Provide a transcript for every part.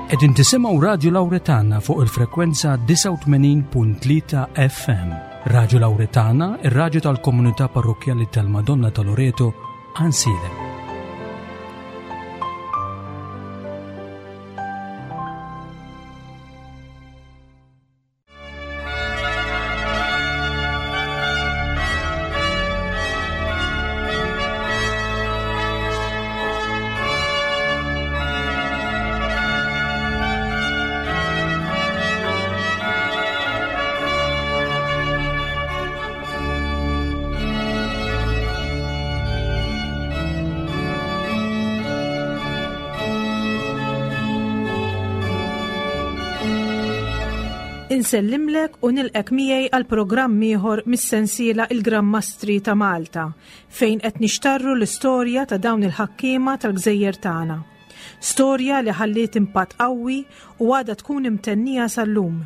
Qegħdin tisimgħu Radju Lawretana fuq il-frekwenza 89.3 FM. Radju Lawretana, ir-radju tal-komunità parrokkjali tal-Madonna ta' Loreto, Ansilem. Insellimlek u nilqek miegħi għal programm ieħor mis-sensiela Il-Gran Mastri ta' Malta, fejn qed nixtarru l-istorja ta' dawn il-ħakkiema tal-gżejjer tagħna. Storja li ħalliet impatt qawwi u għadha tkun imtennija sal-lum.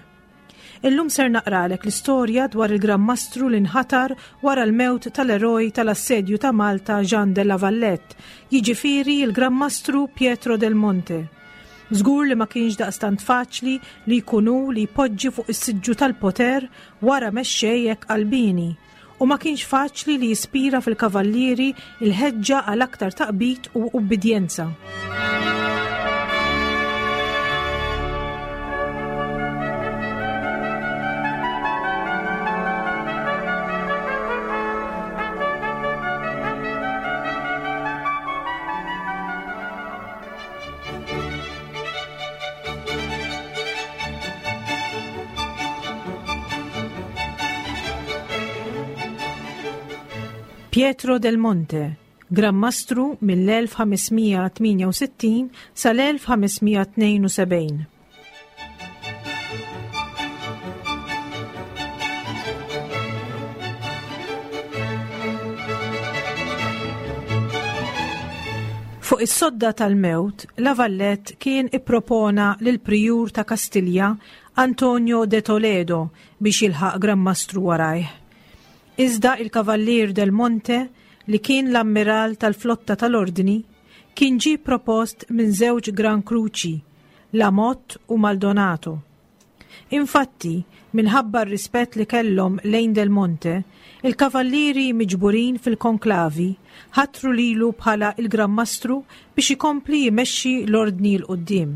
Illum ser naqralek l-istorja dwar il-Gran Mastru li nħatar wara l-mewt tal-eroj tal-assedju ta' Malta Jean de la Valette, jiġifieri l-Gran Mastru Pietro del Monte. Żgur li ma kienx daqstant faċli li jkun hu li jpoġġi fuq is-siġġu tal-poter wara mexxej hekk qalbieni. U ma kienx faċli li jispira fil-kavallieri l-ħeġġa għal aktar taqbid u ubbidjenza. Pietro del Monte, Gran Mastru mill-1568 sal-1572. Fuq is-sodda tal-mewt, La Valette kien ippropona lill-Prijur ta' Kastilja, Antonio de Toledo, biex jilħaq Gran Mastru warajh. Iżda il-Kavallier del Monte, li kien l-Ammiral tal-flotta tal-Ordni, kien ġie propost minn żewġ Gran Kruċi, La Motte u Maldonato. Infatti, minħabba r-rispett li kellhom lejn Del Monte, il-kavallieri miġburin fil-konklavi ħatru lilu bħala l-Gran Mastru biex ikompli jmexxi l-Ordni 'l quddiem.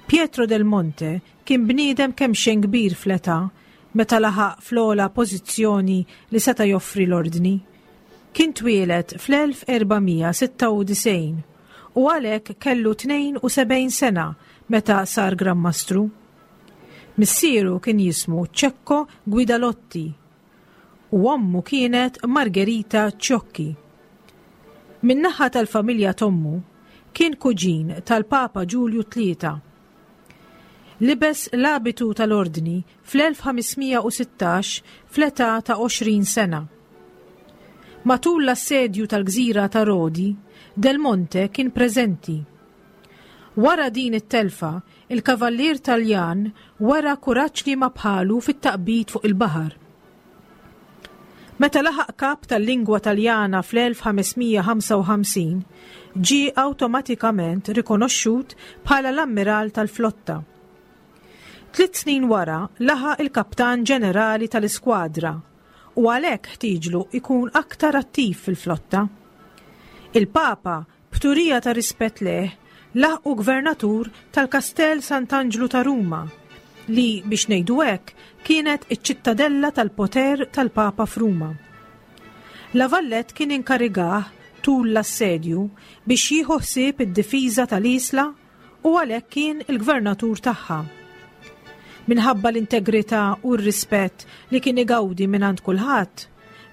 Pietro Del Monte kien bniedem kemxejn kbir fl-età meta laħaq fl-ogħla pożizzjoni li seta' joffri l-Ordni. Kien twieled fl-1496 u għalhekk kellu 72 sena meta sar Gran Mastru. Missieru kien jismu Cecco Guidalotti u ommu kienet Margherita Ciocchi. Min-naħa tal-familja t'ommu, kien kuġin tal-Papa Ġulju Tlieta. Libes l-abitu tal-Ordni fl-1516 fl-età ta' 20 sena. Matul l-assedju tal-gżira ta' Rodi, Del Monte kien preżenti. Wara din it-telfa, il-kavallier Taljan wera kuraġġ liema bħalu fit-taqbid fuq il-baħar. Meta laħaq kap tal-lingwa Taljana fl-1555, ġie awtomatikament rikonoxxut bħala l-Ammiral tal-Flotta. Tliet snin wara laħaq il-Kaptan Ġenerali tal-Iskwadra u għalhekk ħtieġlu jkun aktar attiv fil-flotta. Il-Papa B'turija ta' rispett lejh, laħqu gvernatur tal-Kastell Sant'Anġlu ta' Ruma, li, biex ngħidu hekk, kienet iċ-ċittadella tal-poter tal-Papa f'Ruma. La Valette kien inkarigah, tul l-assedju, biex jieħu ħsieb id-difiża tal-Isla u għalhekk kien il-gvernatur tagħha. Minħabba l-integrità u r-rispett li kien igawdi mingħand kulħadd,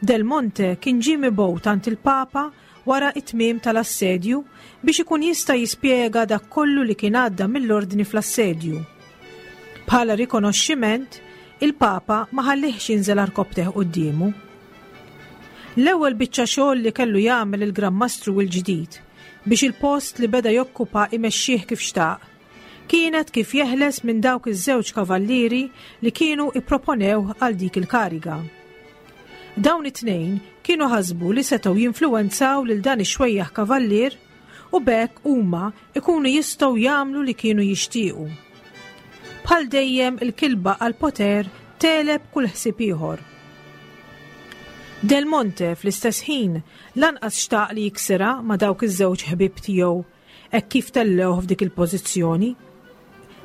Del Monte kien ġie mibgħut għand il-Papa wara t-tmiem tal-assedju biex ikun jista' jispjega dak kollu li kien għadda mill-Ordni fl-assedju. Bħala rikonoxximent, il-Papa ma ħallihx jinżel għarkopptejh quddiemu. L-ewwel biċċa xogħol li kellu jagħmel il-Gran Mastru l-ġdid biex il-post li beda jokkupa imexxih kif xtaq, kienet kif jeħles minn dawk iż-żewġ kavallieri li kienu ipproponewh għal dik il-kariga. Dawn it-tnejn kienu ħasbu li setgħu jinfluwenzaw lil dan ix-xwejjaħ kavallier U b'hekk huma ikunu jistgħu jagħmlu li kienu jixtiequ. Bħal dejjem il-kilba għall-poter tegħleb kull ħsieb ieħor. Del Monte fl-istess ħin lanqas xtaq li jiksirha ma' dawk iż-żewġ ħbieb tiegħu hekk kif tellgħuh f'dik il-pożizzjoni.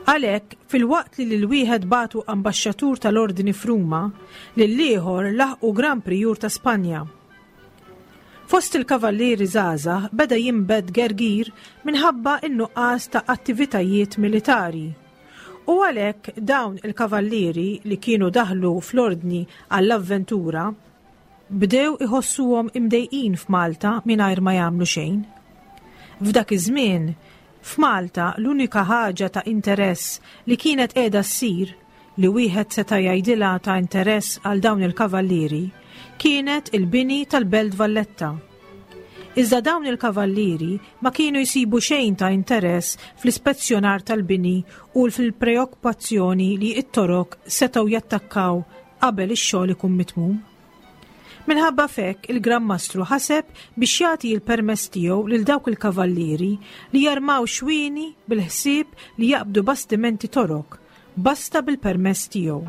Għalhekk, filwaqt li lil wieħed bagħtu ambaxxatur tal-Ordni f'Ruma, lill-ieħor laħqu Gran Prijur ta' Spanja. Fost il-kavallieri żgħażagħ beda jinbet gergir minħabba n-nuqqas ta' attivitajiet militari. U għalhekk dawn il-kavallieri li kienu daħlu fl-Ordni għall-avventura, Bdew iħossuhom imdejqin f'Malta mingħajr ma jagħmlu xejn. F'dak iż-żmien, f'Malta l-unika ħaġa ta' interess li kienet qiegħda ssir, li wieħed seta' jgħidilha ta' interess għal dawn il-kavallieri, kienet il-bini tal-Belt Valletta. Iżda dawn il-kavallieri ma kienu jsibu xejn ta' interess fl-ispezzjonar tal-bini u fil-preokkupazzjoni li t-Torok setgħu jattakkaw qabel ix-xogħol ikun mitmum. Minħabba f'hekk il-Gran Mastru ħaseb biex jagħti l-permess tiegħu lil dawk il-kavallieri li jarmaw xwieni bil-ħsieb li jaqbdu bastimenti Torok, basta bil-permess tiegħu.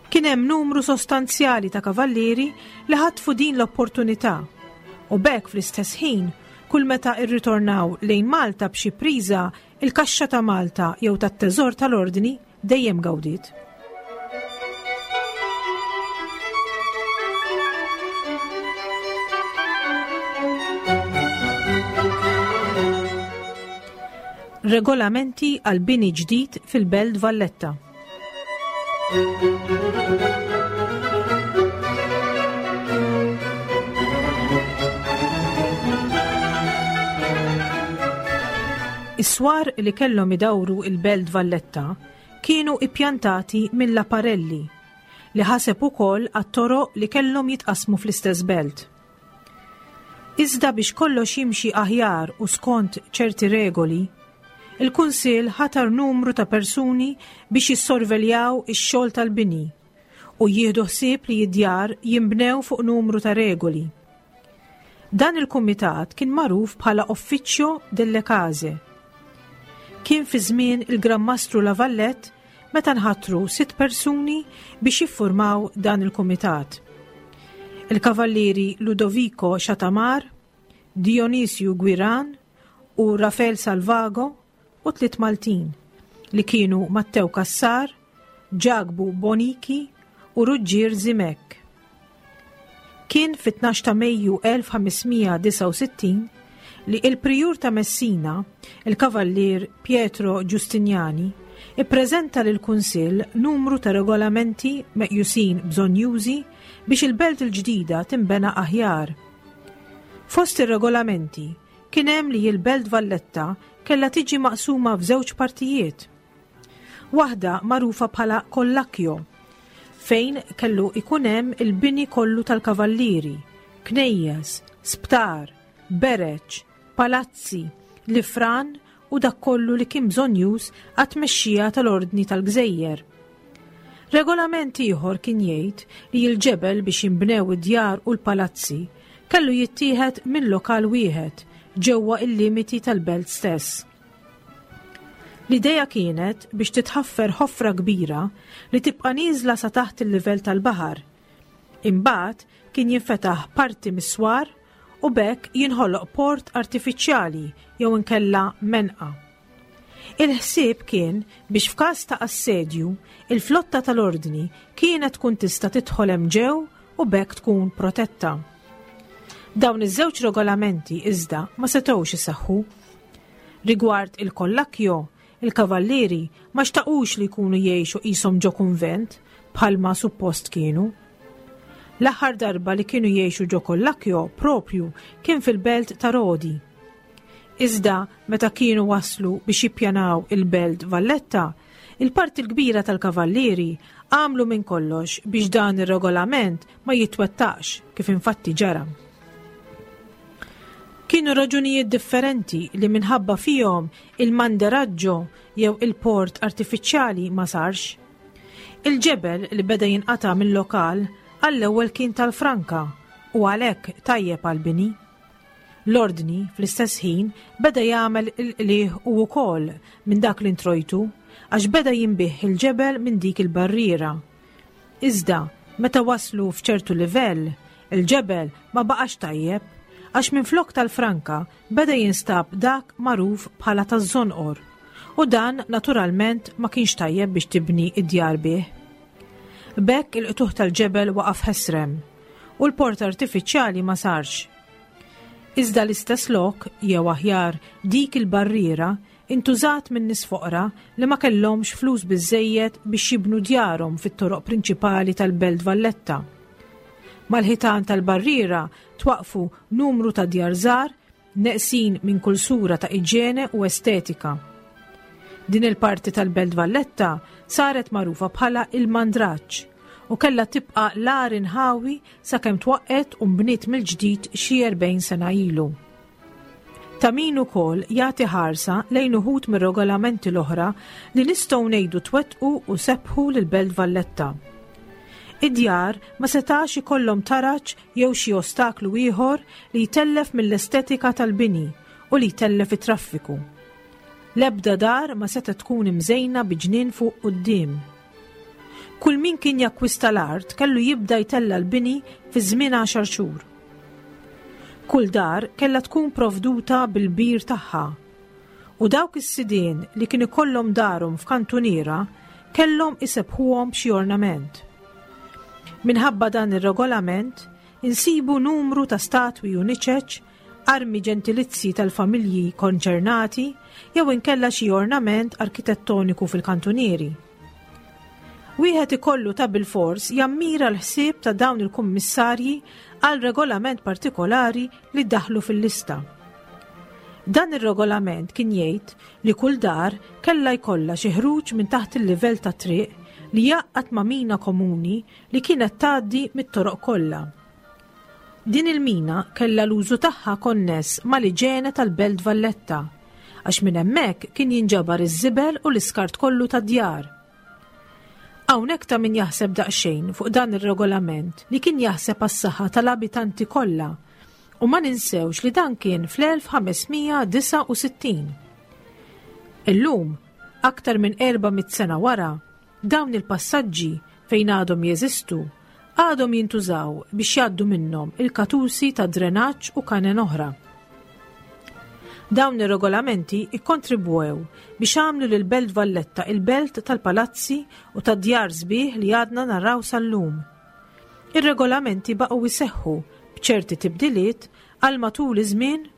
Kien hemm numru sostanzjali ta' kavallieri li ħatfu din l-opportunità u b'hekk fl-istess ħin kull meta rritornaw lejn Malta b'xi priża il-kaxxa ta' Malta jew tat-teżor tal-Ordni dejjem gawdiet. Regolamenti għal bini ġdid fil-Belt Valletta. Is-swar li kellhom idawru il-Belt Valletta kienu ippjantati minn Laparelli, li ħaseb ukoll għat-toroq li kellhom jitqassmu fl-istess belt. Iżda biex kollox jimxi aħjar u skont ċerti regoli, il-Kunsill ħatar numru ta' persuni biex jissorveljaw ix-xogħol tal-bini u jieħdu ħsieb li d-djar jinbnew fuq numru ta' regoli. Dan il-kumitat kien magħruf bħala Officio delle Case. Kien fi żmien il-Gran Mastru La Vallette meta nħatru sitt persuni biex jiffurmaw dan il-kumitat. Il-Kavallieri Ludovico Chatamar, Dionisio Guiran u Rafael Salvago u tliet Maltin li kienu Mattew Cassar, Ġakbu Boniki u Ruġġier Zimek. Kien fit-12 ta' Mejju 1569 li il-Prijur ta' Messina, il-Kavallier Pietro Giustiniani, ippreżenta lill-Kunsill numru ta' regolamenti meqjusin bżonnjużi biex il-belt il-ġdida tinbena aħjar. Fost ir-regolamenti kien hemm li l-Belt Valletta kellha tiġi maqsuma f'żewġ partijiet. Waħda magħrufa bħala Collacchio, fejn kellu ikun hemm il-bini kollu tal-kavallieri, knejjes, sptar, bereġ, palazzi, l-ifran u dak kollu li kien bżonnjuż għat-tmexxija tal-Ordni tal-Gżejjer. Regolament ieħor kien jgħid li l-ġebel biex jinbnew id-djar u l-palazzi kellu jittieħed minn lokal wieħed ġewwa il-limiti tal-belt stess. L-idea kienet biex titħaffer ħofra kbira li tibqa' nieżla sa taħt il-livell tal-baħar. Imbagħad kien jinfetaħ parti mis-swar u b'hekk jinħoloq port artifiċjali jew inkella menqa. Il-ħsieb kien biex f'każ ta' assedju, il-flotta tal-Ordni kienet tkun tista' tidħol hemm ġew u b'hekk tkun protetta. Dawn iż-żewġ regolamenti iżda ma setgħux iseħħu. Rigward il-Collacchio, il-kavallieri ma xtaqux li jkunu jgħixu qishom ġo kunvent bħalma suppost kienu. L-aħħar darba li kienu jgħixu ġo Collacchio proprju kien fil-belt ta' Rodi. Iżda meta kienu waslu biex jippjanaw il-Belt Valletta, il-parti l-kbira tal-Kavallieri għamlu minn kollox biex dan ir-regolament ma jitwettaqx kif infatti ġara. Kienu raġunijiet differenti li minħabba fihom il-manderaggio jew il-port artifiċjali ma sarx. Il-ġebel li beda jinqata' mill-lokal għall-ewwel kien tal-franka u għalhekk tajjeb għall-bini. L-Ordni, fl-istess ħin, beda jagħmel il-qligħ hu wkoll minn dak l-introjtu għax beda jinbiegħ il-ġebel minn dik il-barriera. Iżda, meta waslu f'ċertu livell, il-ġebel ma baqax tajjeb għax minflok tal-franka beda jinstab dak magħruf bħala taż-żonqor u dan naturalment ma kienx tajjeb biex tibni d-djar bih. B'hekk il-qtugħ tal-ġebel waqaf ħesrem u l-port artifiċjali ma sarx. Iżda l-istess lok, jew aħjar dik il-barriera, intużat minn nies foqra li ma kellhomx flus biżżejjed biex jibnu djarhom fit-toroq prinċipali tal-Belt Valletta. Mal-ħitan tal-barriera twaqqfu numru ta' djar żgħar neqsin minn kull sura ta' iġene u estetika. Din il-parti tal-Belt Valletta saret magħrufa bħala il-Mandraġġ u kellha tibqa' l-agħar inħawi sakemm twaqqgħet u nbniet mill-ġdid xi 40 sena ilu. Ta' min ukoll jagħti ħarsa lejn uħud mir-regolamenti l-oħra li nistgħu ngħidu twettqu u sebħu lill-Belt Valletta. Id-djar ma setax ikollhom taraġ jew xi ostaklu ieħor li jtellef mill-estetika tal-bini u li jtellef it-traffiku. L-ebda dar ma setgħet tkun imżejna bi ġnien fuq quddiem. Kull min kien jakkwista l-art kellu jibda jtella' l-bini fi żmien għaxar xhur. Kull dar kellha tkun provduta bil-bir tagħha u dawk is-sidien li kien ikollhom darhom f'kantuniera kellhom isebbħuhom b'xi ornament. Minħabba dan ir-regolament insibu numru ta' statwi u niċeċ, armi ġentilizji tal-familji konċernati jew inkella xi ornament arkitettoniku fil-kantunieri. Wieħed ikollu ta' bilfors jammira l-ħsieb ta' dawn il-kummissarji għal regolament partikolari li daħlu fil-lista. Dan ir-regolament kien jgħid li kull dar kellha jkollha xi ħruġ minn taħt il-livell tat-triq li jgħaqqad ma' mina komuni li kienet tgħaddi mit-toroq kollha. Din il-mina kellha l-użu tagħha konness mal-iġene tal-Belt Valletta, għax minn hemmhekk kien jinġabar iż-żibel u l-iskart kollu tad-djar. Hawnhekk ta' min jaħseb daqsxejn fuq dan ir-regolament li kien jaħseb għas-saħħa tal-abitanti kollha u ma ninsewx li dan kien fl-1569. Illum, aktar minn 400 sena wara, Dawn il-passaġġi, fejn għadhom jeżistu, għadhom jintużaw biex jgħaddu minnhom il-katusi ta' drenaġġ u kanen oħra. Dawn ir-regolamenti ikkontribwew biex għamlu lil Belt Valletta il-belt tal-palazzi u tad-djar sbieħ li għadna naraw sal-lum. Ir-regolamenti baqgħu jseħħu b'ċerti tibdiliet għal matul iż-żmien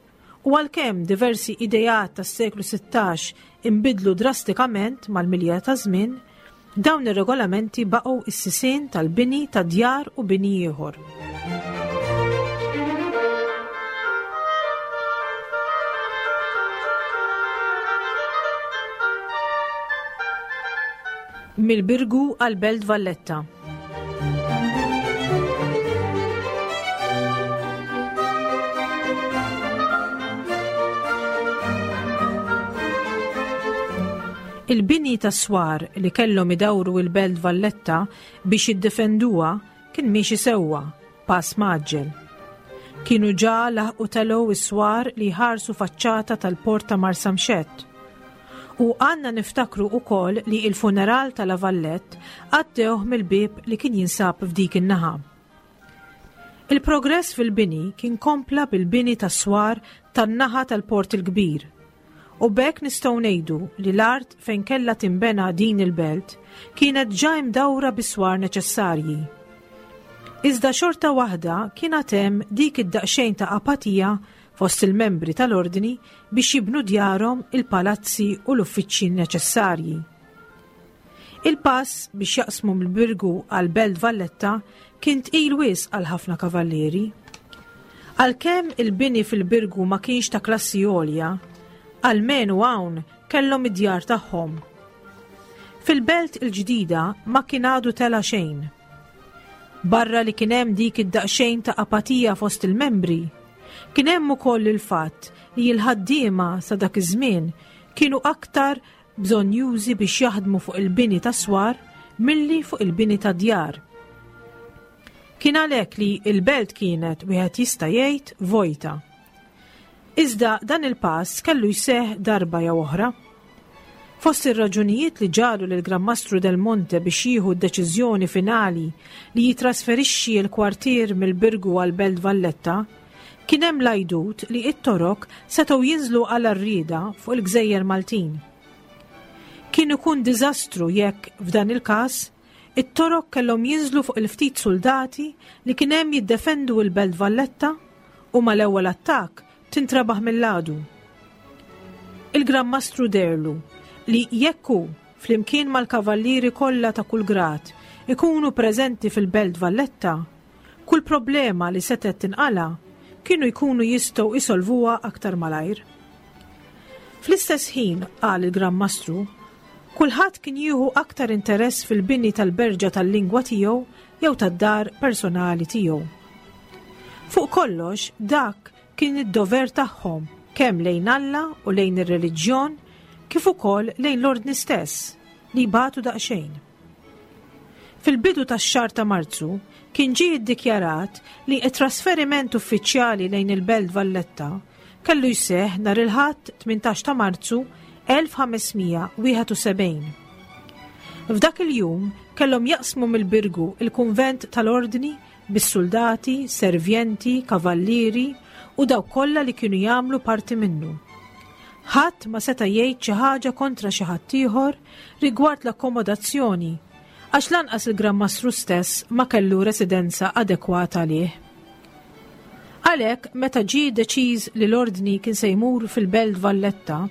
U għalkemm diversi ideat tas-seklu 16 inbidlu drastikament mal-milja taż-żmien, dawn ir-regolamenti baqgħu s-sisien tal-bini ta' djar u bini ieħor. Mill-Birgu għall-Belt Valletta. Il-bini ta' swar li kellhom idawru il-Belt Valletta biex jiddefenduha kien miexi sewwa, pass mgħaġġel. Kienu ġa laħqu telgħu s-swar li jħarsu faċċata tal-port ta' Marsamxett. U għandna niftakru ukoll li il-funeral ta' La Vallette għaddewh mill-bieb li kien jinsab f'dik in-naħa. Il-progress fil-bini kien kompla bil-bini tas-swar tan-naħa tal-Port il-Kbir. U b'hekk nistgħu ngħidu li l-art fejn kellha tinbena din il-belt kienet ġa imdawra bis-swar neċessarji. Iżda xorta waħda kien għad hemm dik id-daqsxejn ta' apatija fost il-membri tal-Ordni biex jibnu djarhom, il-palazzi u l-uffiċċji neċessarji. Il-pass biex jaqsmu mill-Birgu għal Belt Valletta kien tqil wisq għal ħafna kavallieri. Għalkemm il-bini fil-Birgu ma kienx ta' klassi għolja, almenu hawn kellhom id-djar tagħhom. Fil-belt il-ġdida ma kien għadu tela' xejn. Barra li kien hemm dik id-daqsxejn ta' apatija fost il-membri, kien hemm ukoll il-fatt li l-ħaddiema sa dak iż-żmien kienu aktar bżonnjużi biex jaħdmu fuq il-bini ta' swar milli fuq il-bini ta' djar. Kien għalhekk li l-belt kienet wieħed jista' jgħid vojta. Iżda dan il-pass kellu jseħħ darba jew oħra. Fost ir-raġunijiet li ġagħlu lill-Gran Mastru Del Monte biex jieħu d-deċiżjoni finali li jitrasferixxi l-kwartier mill-Birgu għall-Belt Valletta, kien hemm l-għajdut li t-Torok setgħu jinżlu għal għarrieda fuq il-gżejjer Maltin. Kien ikun diżastru jekk, f'dan il-każ, it-Torok kellhom jinżlu fuq il-ftit suldati li kien hemm jiddefendu l-Belt Valletta u mal-ewwel attakk tintrabaħ mill-għadu. Il-Gran Mastru deherlu li jekk hu, flimkien mal-kavallieri kollha ta' kull grad, ikunu preżenti fil-Belt Valletta, kull problema li setgħet tinqala' kienu jkunu jistgħu jsolvuha aktar malajr. Fl-istess ħin, qal il-Gran Mastru, kulħadd kien jieħu aktar interess fil-bini tal-berġa tal-lingwa tiegħu jew tad-dar personali tiegħu. Fuq kollox, dak kien id-dover tagħhom kemm lejn Alla u lejn ir-reliġjon kif ukoll lejn l-Ordni stess, li jbatu daqsxejn. Fil-bidu tax-xahar ta' Marzu kien ġie ddikjarat li t-trasferiment uffiċjali lejn il-Belt Valletta kellu jseħħ nhar il-Ħadd 18 ta' Marzu 1571. F'dak il-jum kellhom jaqsmu mill-Birgu il-kunvent tal-Ordni bis-suldati, servjenti, kavallieri u dawk kollha li kienu jagħmlu parti minnu. Ħadd ma seta' jgħid xi ħaġa kontra xi ħaddieħor rigward l-akkomodazzjoni, għax lanqas il-Gran Mastru stess ma kellu residenza adekwata għalih. Għalhekk, meta ġie deċiż li l-Ordni kien se jmur fil-Belt Valletta,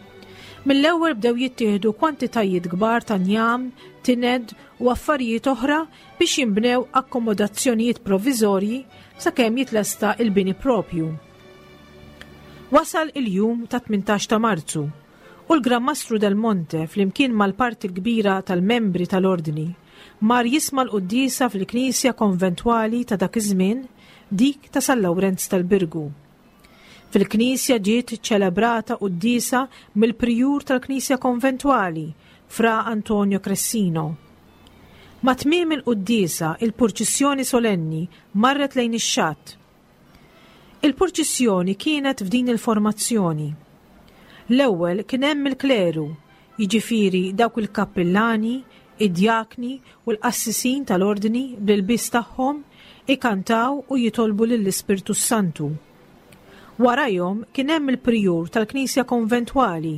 mill-ewwel bdew jittieħdu kwantitajiet kbar ta' njam, tined u affarijiet oħra biex jinbnew akkomodazzjonijiet provviżorji sakemm jitlesta il-bini propju. Wasal il-jum ta' 18 ta' Marzu u l-Gran Mastru Del Monte flimkien mal-parti l-kbira tal-membri tal-Ordni mar jisma' l-quddiesa fil-knisja konventwali ta' dak iż-żmien, dik ta' San Lawrenz tal-Birgu. Fil-knisja ġiet iċċelebrata quddiesa mill-prijur tal-knisja konventwali, Fra Antonio Cressino. Ma' tmiem il-quddiesa, il-purċissjoni solenni marret lejn ix-xatt. Il-purċissjoni kienet f'din il-formazzjoni. L-ewwel kien hemm il-kleru, jiġifieri dawk il-kappillani, id-djakni u l-qassisin tal-ordni bl-ilbies tagħhom ikantaw u jitolbu lill-Ispirtu s-Santu. Warajhom kien hemm il-prijur tal-knisja konventwali,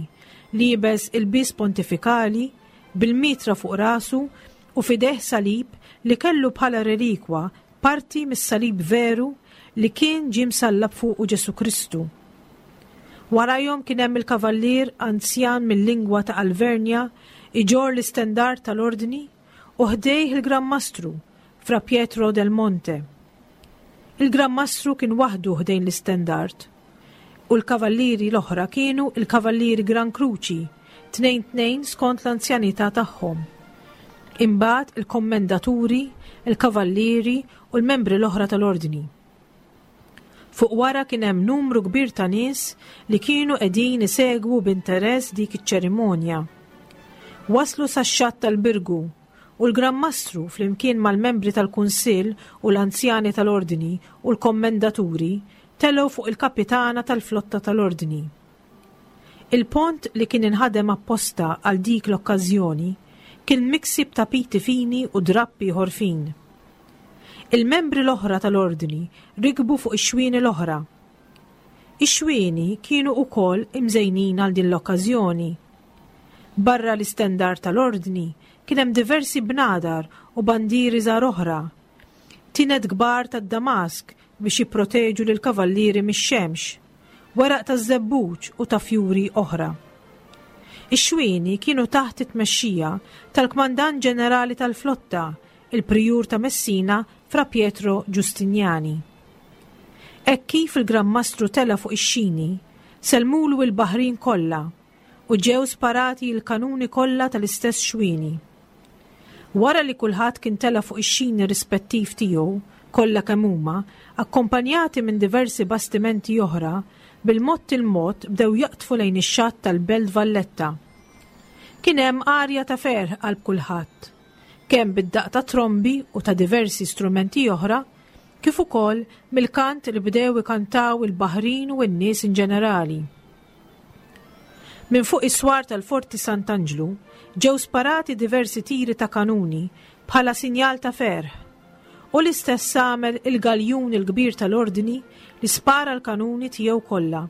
liebes ilbies pontifikali, bil-mitra fuq rasu u f'idejh salib li kellu bħala relikwa parti mis-salib veru li kien ġie msallab fuqu Ġesù Kristu. Warajhom kien hemm il-kavallier anzjan mil-lingwa ta' Alvernja iġorr l-istendard tal-Ordni u ħdejh il-Gran Mastru, Fra Pietro del Monte. Il-Gran Mastru kien waħdu ħdejn l-istendard u l-kavallieri l-oħra kienu l-Kavallieri Gran Kruċi, tnejn tnejn skont l-anzjanità tagħhom. Imbagħad il-kommendaturi, il-kavallieri u l-membri l-oħra tal-Ordni. Fuq wara kien hemm numru kbir ta' nies li kienu qegħdin isegwu b'interess dik iċ-ċerimonja. Waslu sax-xatt tal-Birgu u l-Gran Mastru flimkien mal-membri tal-Kunsill u l-anzjani tal-Ordni u l-kommendaturi telgħu fuq il-kapitana tal-flotta tal-Ordni. Il-pont li kien inħadem apposta għal dik l-okkażjoni kien miksi b'tapiti fini u drapp ieħor fin. Il-membri l-oħra tal-Ordni rikbu fuq ix-xwieni l-oħra. Ix-xwieni kienu wkoll imżejnin għal din l-okkażjoni. Barra l-istendard tal-Ordni kien hemm diversi bnadar u bandieri żgħar oħra. Tined kbar tad-damask biex jipproteġu lill-kavallieri mix-xemx, weraq taż-żebbuġ u ta' fjuri oħra. Ix-xwieni kienu taħt it-tmexxija tal-Kmandant Ġenerali tal-Flotta, il-Prijur ta' Messina Fra Pietro Giustiniani. Hekk kif il-Gran Mastru tela' fuq ix-xini, sellmulu l-baħrin kollha u ġew sparati l-kanuni kollha tal-istess xwieni. Wara li kulħadd kien tela' fuq ix-xini rispettiv tiegħu, kollha kemm huma, akkompanjati minn diversi bastimenti oħra, bil-mod il-mod bdew jaqdfu lejn ix-xatt tal-Belt Valletta. Kien hemm arja ta' ferħ qalb kulħadd, kemm bid-daqq ta' trombi u ta' diversi strumenti oħra, kif ukoll mill-kant li bdew ikantaw il-baħrin u n-nies in ġenerali. Minn fuq is-swar tal-Forti Sant'Anġlu ġew sparati diversi tiri ta' kanuni bħala sinjal ta' ferħ, u l-istess għamel il-galjun il-kbir tal-Ordni li spara l-kanuni tiegħu kollha.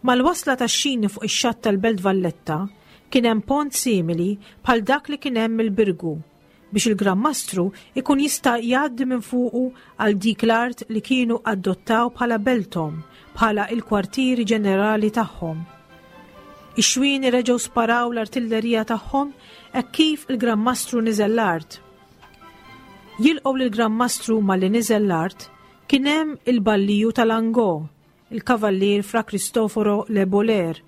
Mal-wasla tax-xini fuq ix-xatt tal-Belt Valletta kien hemm pont simili bħal dak li kien hemm il-Birgu biex il-Gran Mastru ikun jista' jgħaddi minn fuqu għal dik l-art li kienu adottaw bħala belthom, bħala il-kwartieri ġenerali tagħhom. Ix-xwieni reġgħu sparaw l-artillerija tagħhom hekk kif il-Gran Mastru niżel l-art. Jilqgħu lill-Gran Mastru malli niżel l-art kien hemm il-balliju tal-Angò, il-Kavallier Fra Cristoforo Le Boler,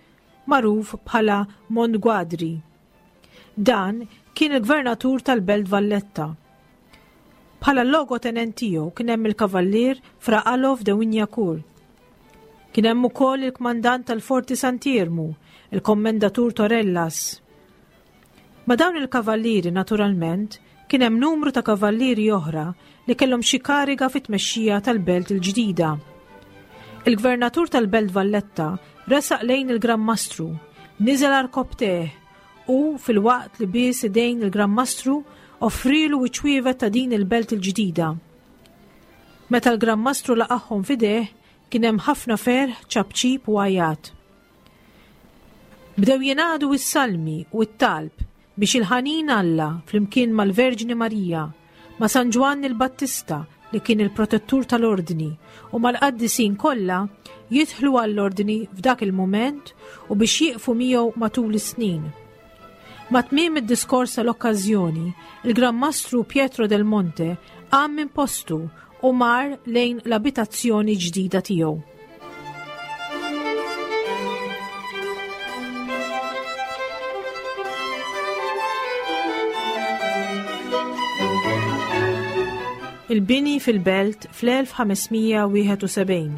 magħruf bħala Montguadri. Dan kien il-Gvernatur tal-Belt Valletta. Bħala logotenent tiegħu kien hemm il-Kavallier Fra Alof de Wignacourt. Kien hemm ukoll il-kmandant tal-Forti Sant'Iermu, il-Kommendatur Torellas. Ma' dawn il-kavallieri naturalment kien hemm numru ta' kavallieri oħra li kellhom xi kariga fit-tmexxija tal-belt il-ġdida. Il-Gvernatur tal-Belt Valletta resaq lejn il-Gran Mastru, niżel għarkopptejh u, filwaqt li bies idejn il-Gran Mastru, offrielu ċ-ċwievet ta' din il-belt il-ġdida. Meta l-Gran Mastru laqagħhom f'idejh, kien hemm ħafna ferħ, ċapċip u għajat. Bdew jingħadu s-salmi u t-talb biex il-ħanin Alla flimkien mal-Verġni Marija, ma' San Ġwann il-Battista li kien il-protettur tal-ordni u mal-qaddisin kollha jidħlu għall-ordni f'dak il-mument u biex jieqfu miegħu matul is-snin. Ma' tmiem id-diskors tal-okkażjoni, il-Gran Mastru Pietro del Monte qam minn postu u mar lejn l-abitazzjoni ġdida tiegħu. Il-bini fil-belt fl-1571.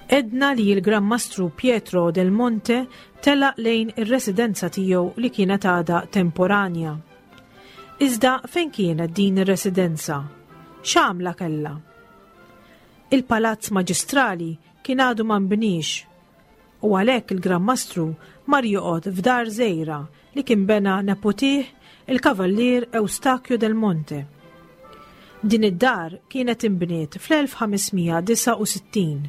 Għedna li l-Gran Mastru Pietro del Monte telaq lejn ir-residenza tiegħu li kienet għadha temporanja. Iżda fejn kienet din ir-residenza? X'għamla kellha? Il-Palazz Maġistrali kien għadu ma nbniex u għalhekk il-Gran Mastru mar joqgħod f'dar żgħira li kien bena neputih il-Kavallier Eustachio del Monte. Din id-dar kienet inbniet fl-1569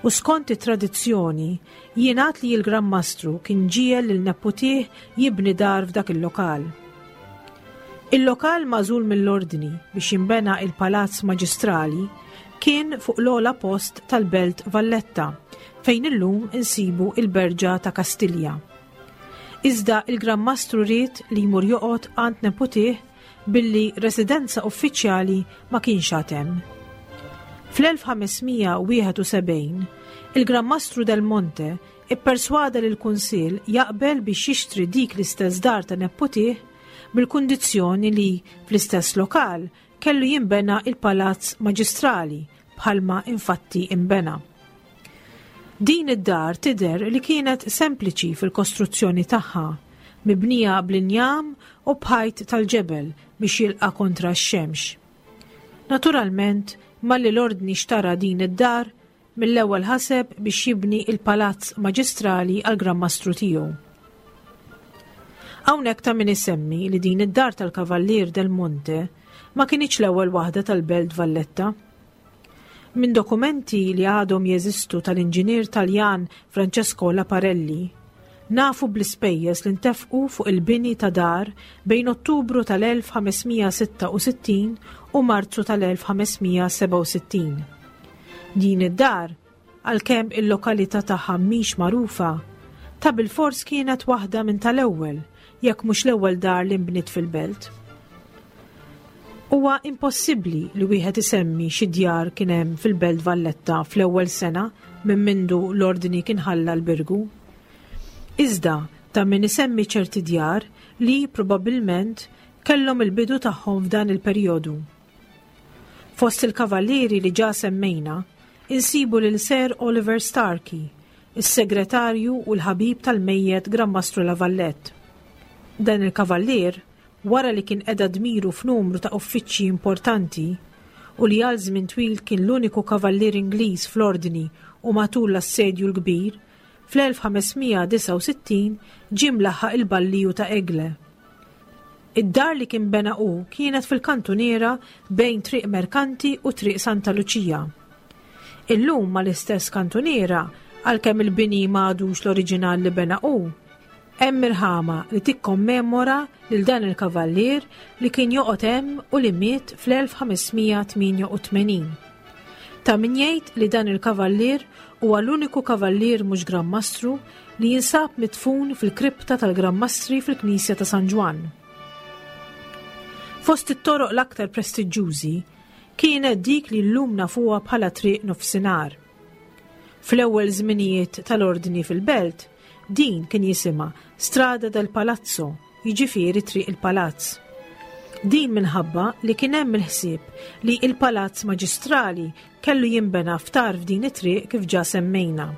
u skont it-tradizzjoni jingħad li l-Gran Mastru kien ġiegħel lil neputih jibni dar f'dak il-lokal. Il-lokal magħżul mill-Ordni biex jinbena il-Palazz Maġistrali kien fuq l-ogħla post tal-Belt Valletta fejn illum insibu il-Berġa ta' Kastilja. Iżda il-Gran Mastru ried li jmur joqgħod għand neputih billi residenza uffiċjali ma kienx għad hemm. Fl-1571, il-Gran Mastru del Monte ipperswada lill-Kunsill jaqbel biex jixtri dik l-istess dar ta' neputih bil-kundizzjoni li fl-istess lokal kellu jinbena il-Palazz Maġistrali bħalma infatti inbena. Din id-dar tidher li kienet sempliċi fil-kostruzzjoni tagħha, mibnija bl-injam u b'ħajt tal-ġebel biex jilqa' kontra x-xemx. Naturalment, malli l-Ordni xtara din id-dar, mill-ewwel ħaseb biex jibni il-palazz maġistrali għall-Gran Mastru tiegħu. Hawnhekk ta' min isemmi li din id-dar tal-Kavallier del Monte ma kinitx l-ewwel waħda tal-Belt Valletta. Minn dokumenti li għadhom jeżistu tal-inġinier Taljan Francesco Laparelli, nafu bl-ispejjeż li ntefqu fuq il-bini ta' dar bejn Ottubru tal-1566 u Marzu tal-1567. Din id-dar Għalkemm il-lokalità tagħha mhix magħrufa, ta' bilfors kienet waħda minn tal-ewwel, jekk mhux l-ewwel dar li nbniet fil-belt. Huwa impossibbli li wieħed isemmi xi djar kien hemm fil-Belt Valletta fl-ewwel sena minn mindu l-Ordni kien ħalla l-Birgu. Iżda ta' min isemmi ċerti djar li probabbilment kellhom il-bidu tagħhom f'dan il-perjodu. Fost il-kavallieri li ġa semmejna, insibu lil Sir Oliver Starkey, is-segretarju u l-ħabib tal-mejjet Gran Mastru La Vallette. Dan il-kavallier, wara li kien qeda dmiru f'numru ta' uffiċċji importanti u li għal żmien twil kien l-uniku kavallier Ingliż fl-Ordni u matul l-Assedju l-Kbir, fl-1569 ġie mlaħħaq il-Balliju ta' Aigle. Id-dar li kien bena hu kienet fil-kantuniera bejn Triq Merkanti u Triq Santa Luċija. Illum mal-istess kantuniera, għalkemm il-bini ma għadux l-oriġinal li bena hu, hemm irħama li tikkommemora lil dan il-kavallier li kien joqgħod hemm u li miet fl-1588. Ta' min jgħid li dan il-kavallier huwa l-uniku kavallier mhux Gran Mastru li jinsab midfun fil-kripta tal-Gran Mastri fil-Knisja ta' San Ġwann. Fost it-toroq l-aktar prestiġġużi kienet dik li llum nafuha bħala Triq Nofsinhar. Fl-ewwel żminijiet tal-Ordni fil-belt, din kien jisimha Strada del Palazzo, jiġifieri Triq il-Palazz. Din minħabba li kien hemm il-ħsieb li il-Palazz Maġistrali kellu jinbena f'tarf din it-triq kif ġa semmejna.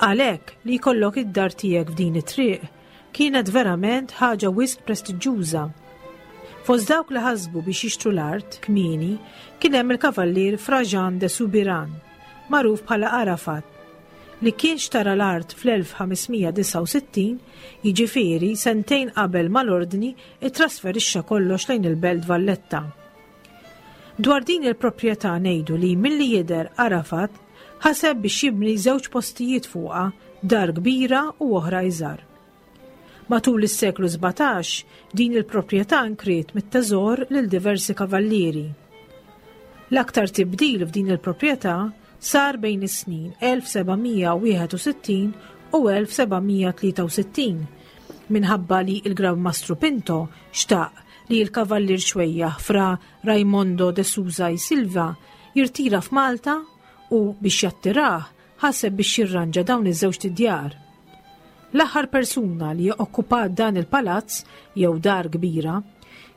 Għalhekk li jkollok id-dar tiegħek f'din it-triq kienet verament ħaġa wisq prestiġġuża. Fost dawk li ħasbu biex jixtru l-art kmieni kien hemm il-kavallier Fra Jean de Soubiran, magħruf bħala Arafat, li kien xtara l-art fl-1569, jiġifieri sentejn qabel ma l-Ordni ttrasferixxa kollox lejn il-Belt Valletta. Dwar din il-proprjetà ngħidu li milli jidher Arafat ħaseb biex jibni żewġ postijiet fuqha, dar kbira u oħra iżgħar. Matul is-seklu 17 din il-proprjetà nkriet mit-teżor lil diversi kavallieri. L-aktar tibdil f'din il-proprjetà sar bejn is-snin 1761 u 1763 minħabba li l-Gran Mastru Pinto xtaq li l-Kavallier Xwejjaħ Fra Raimondo de Souza y Silva jirtira f'Malta u biex jattirah ħaseb biex jirranġa dawn iż-żewġt idjar. L-aħħar persuna li okkupat dan il-palazz jew dar kbira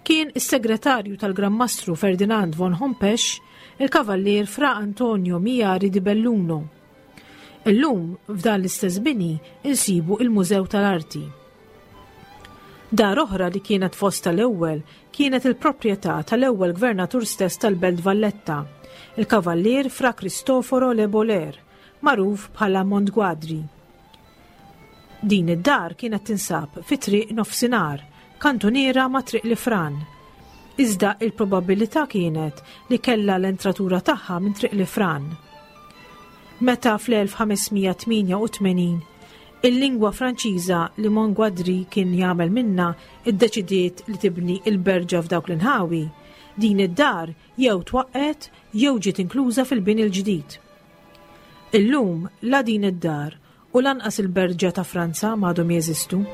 kien is-segretarju tal-Gran Mastru Ferdinand von Hompesch, il-Kavallier Fra Antonio Miari di Belluno. Illum f'dan l-istess bini insibu il-Mużew tal-Arti. Dar oħra li kienet fost tal-ewwel kienet il-proprjetà tal-ewwel gvernatur stess tal-Belt Valletta, il-Kavallier Fra Cristoforo Le Boler, magħruf bħala Montguadri. Din id-dar kienet tinsab fi Triq Nofsinhar, kantuniera ma' Triq Lifran. Iżda il-probabilità kienet li kellha l-entratura tagħha minn Triq Lifran. Meta fl-1588 il-lingwa Franċiża li Montguadri kien jagħmel minnha iddeċidiet li tibni l-berġa f'dawk l-inħawi, din id-dar jew twaqqgħet jew ġiet inkluża fil-bini l-ġdid. Illum la din id-dar u lanqas il-berġa ta' Franza m'għadhom jeżistu.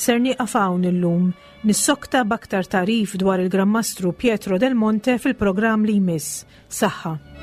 Ser nieqaf hawn illum, nissokta b'aktar tagħrif dwar il-Gran Mastru Pietro del Monte fil-programm li jmiss. Saħħa.